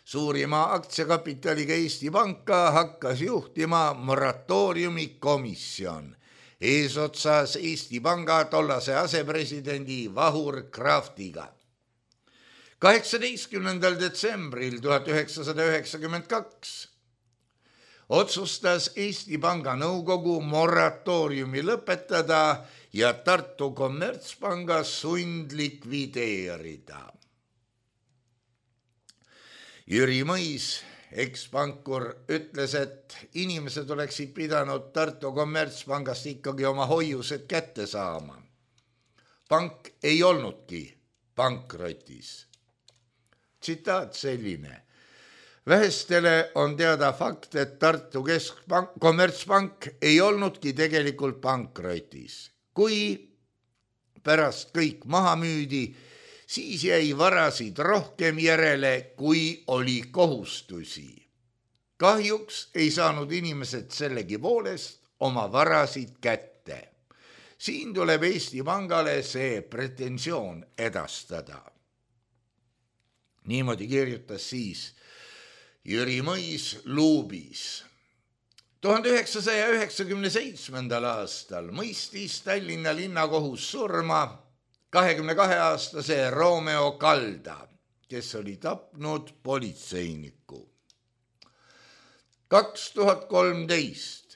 Suurima aktsiakapitaliga Eesti Panka hakkas juhtima moratooriumi komisjon eesotsas Eesti Panga tollase asepresidendi Vahur Kraftiga. kaheksateistkümnendal detsembril tuhat üheksasada üheksakümmend kaks otsustas Eesti Panga nõukogu moratooriumi lõpetada ja Tartu Kommertspanga sundlikvideerida. Jüri Mõis, ekspankur, ütles, et inimesed oleksid pidanud Tartu Kommertspangast ikkagi oma hoiused kätte saama. Pank ei olnudki pankrotis. Tsitaat selline. Vähestele on teada fakt, et Tartu Keskpank, Kommertspank ei olnudki tegelikult pankrotis. Kui pärast kõik maha müüdi, siis jäi varasid rohkem järele, kui oli kohustusi. Kahjuks ei saanud inimesed sellegi poolest oma varasid kätte. Siin tuleb Eesti Pangale see pretensioon edastada. Niimoodi kirjutas siis Jüri Mõis Luubis. tuhande üheksasaja üheksakümne seitsmendal aastal mõistis Tallinna linnakohus surma kahekümne kahe aastase Romeo Kalda, kes oli tapnud politseiniku. kaks tuhat kolmteist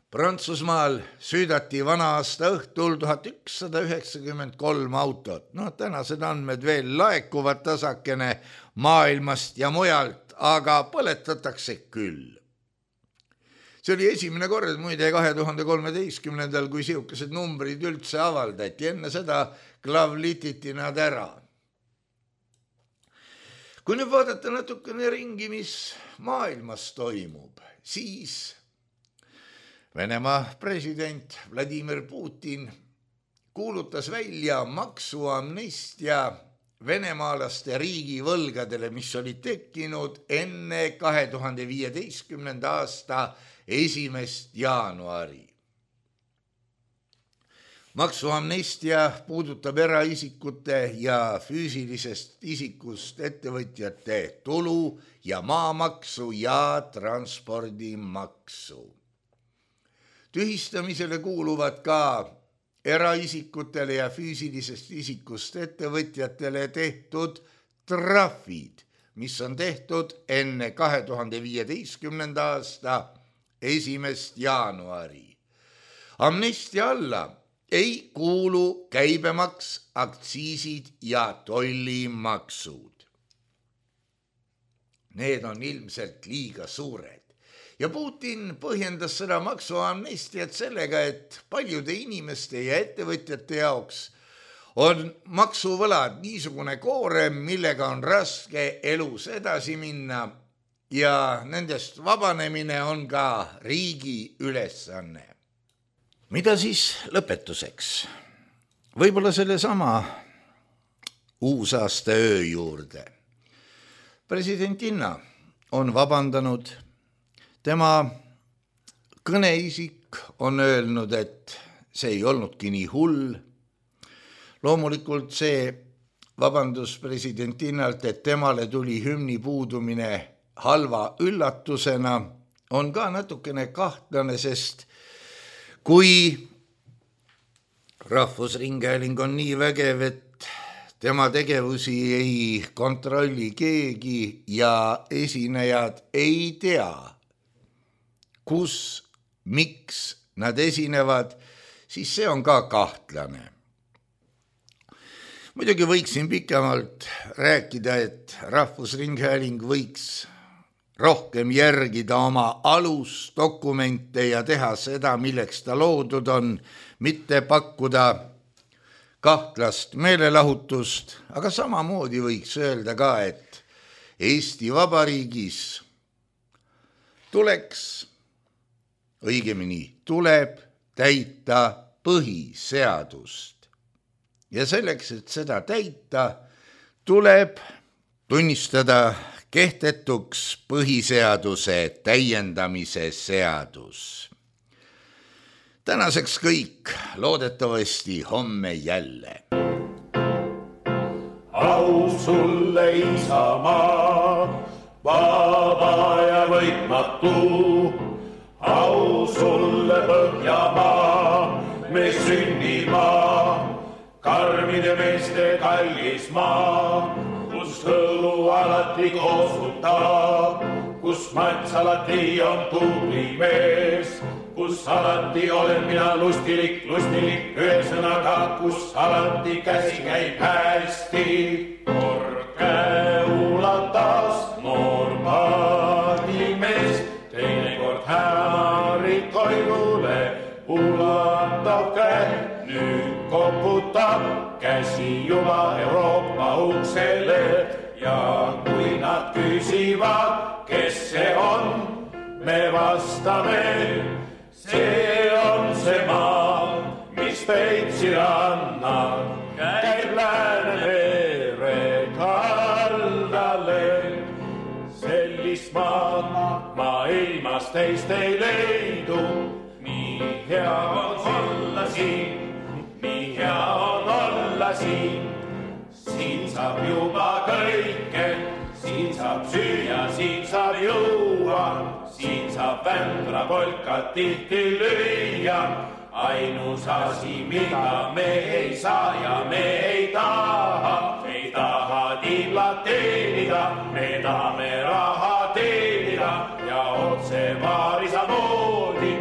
Prantsusmaal süüdati vana aasta õhtul tuhat ükssada üheksakümmend kolm autot. No tänased andmed veel laekuvad tasakene maailmast ja mujalt, aga põletatakse küll. See oli esimene kord muide kahe tuhande kolmeteistkümnendal, kui siukesed numbrid üldse avaldati. Enne seda klavlititi nad ära. Kui nüüd vaadata natukene ringi, mis maailmas toimub, siis Venemaa president Vladimir Putin kuulutas välja maksuamnestia venemaalaste riigivõlgadele, mis olid tekkinud enne kahe tuhande viieteistkümnenda aasta esimest jaanuari. Maksuamnestia puudutab eraisikute ja füüsilisest isikust ettevõtjate tulu ja maamaksu ja transpordimaksu. Tühistamisele kuuluvad ka eraisikutele ja füüsilisest isikust ettevõtjatele tehtud trahvid, mis on tehtud enne kahe tuhande viieteistkümnenda aasta esimest jaanuari. Amnestia alla ei kuulu käibemaks, aktsiisid ja tollimaksud. Need on ilmselt liiga suured. Ja Putin põhjendas seda maksuamnestiat sellega, et paljude inimeste ja ettevõtjate jaoks on maksuvõlad niisugune koorem, millega on raske elus edasi minna ja nendest vabanemine on ka riigi ülesanne. Mida siis lõpetuseks? Võib-olla selle sama uusaasta öö juurde. Presidentinna on vabandanud. Tema kõneisik on öelnud, et see ei olnudki nii hull. Loomulikult see vabandus presidentinnalt, et temale tuli hümni puudumine halva üllatusena, on ka natukene kahtlane, sest kui Rahvusringhääling on nii vägev, et tema tegevusi ei kontrolli keegi ja esinejad ei tea, kus, miks nad esinevad, siis see on ka kahtlane. Muidugi võiksin pikemalt rääkida, et Rahvusringhääling võiks rohkem järgida oma alusdokumente ja teha seda, milleks ta loodud on, mitte pakkuda kahtlast meelelahutust, aga samamoodi võiks öelda ka, et Eesti Vabariigis tuleks õigemini tuleb täita põhiseadust. Ja selleks, et seda täita, tuleb tunnistada kehtetuks põhiseaduse täiendamise seadus. Tänaseks kõik, loodetavasti homme jälle. au sulle Isamaa, vaba ja võitmatu, au sulle Põhjamaa, me sünnimaa, karmide meeste kallis maa, kus hõlu alati koosutab, kus mats alati on tubli mees, kus alati olen mina lustilik, lustilik ühesõnaga, kus alati käsi käib hästi. Kord käe ulatas noor paadimees, teinekord hämarid koidule ulatab käe, nüüd koputab käsi juba Euroopa uksele ja kui nad küsivad, kes see on, me vastame, see on see maa, mis Peipsi rannal käib Läänemere kaldale. Sellist maad maailmas teist ei leidu, nii hea on olla siin, nii hea on olla siin. Siin saab juba kõike, siin saab süüa, siin saab juua, siin saab vändra polkat tihti lüüa. Ainus asi, mida me ei saa ja me ei taha, ei taha tiiblat teenida, me tahame raha teenida ja otse vaarisa moodi,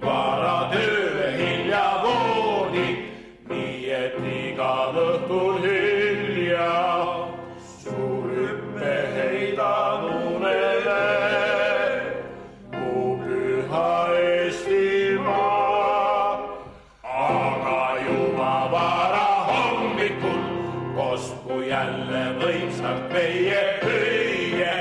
vara töö hilja voodi, nii et igal õhtul hilja suur hüppe heidan unele, mu püha Eestimaa. Aga juba vara hommikul kosku jälle võimsalt meie hüüe.